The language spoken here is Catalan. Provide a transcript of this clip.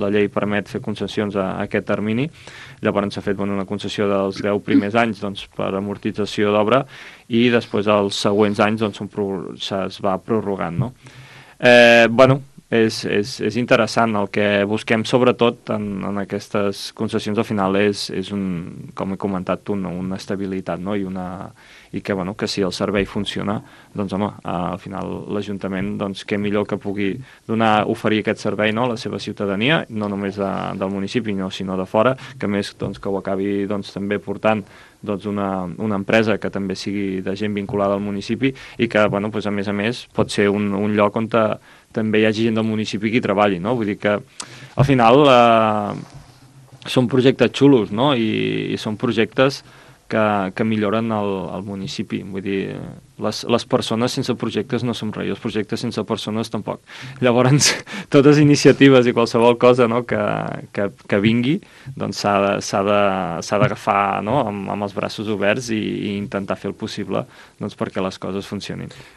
la llei permet fer concessions a aquest termini. Llavors s'ha fet una concessió dels 10 primers anys doncs, per amortització d'obra i després els següents anys doncs, es va prorrogant. No? És interessant. El que busquem sobretot en aquestes concessions al final és com he comentat, una estabilitat, no? I que si el servei funciona, doncs home, al final l'Ajuntament doncs, què millor que pugui oferir aquest servei, no? A la seva ciutadania, no només del municipi sinó de fora, que més doncs, que ho acabi doncs, també portant doncs, una empresa que també sigui de gent vinculada al municipi i que doncs, a més pot ser un lloc on també hi hagi gent del municipi qui treballi, no? Vull dir que al final són projectes xulos, no? I són projectes que milloren el municipi. Vull dir, les persones sense projectes no som res, els projectes sense persones tampoc. Llavors, totes iniciatives i qualsevol cosa, no, que vingui doncs s'ha d'agafar, no, amb els braços oberts i intentar fer el possible doncs, perquè les coses funcionin.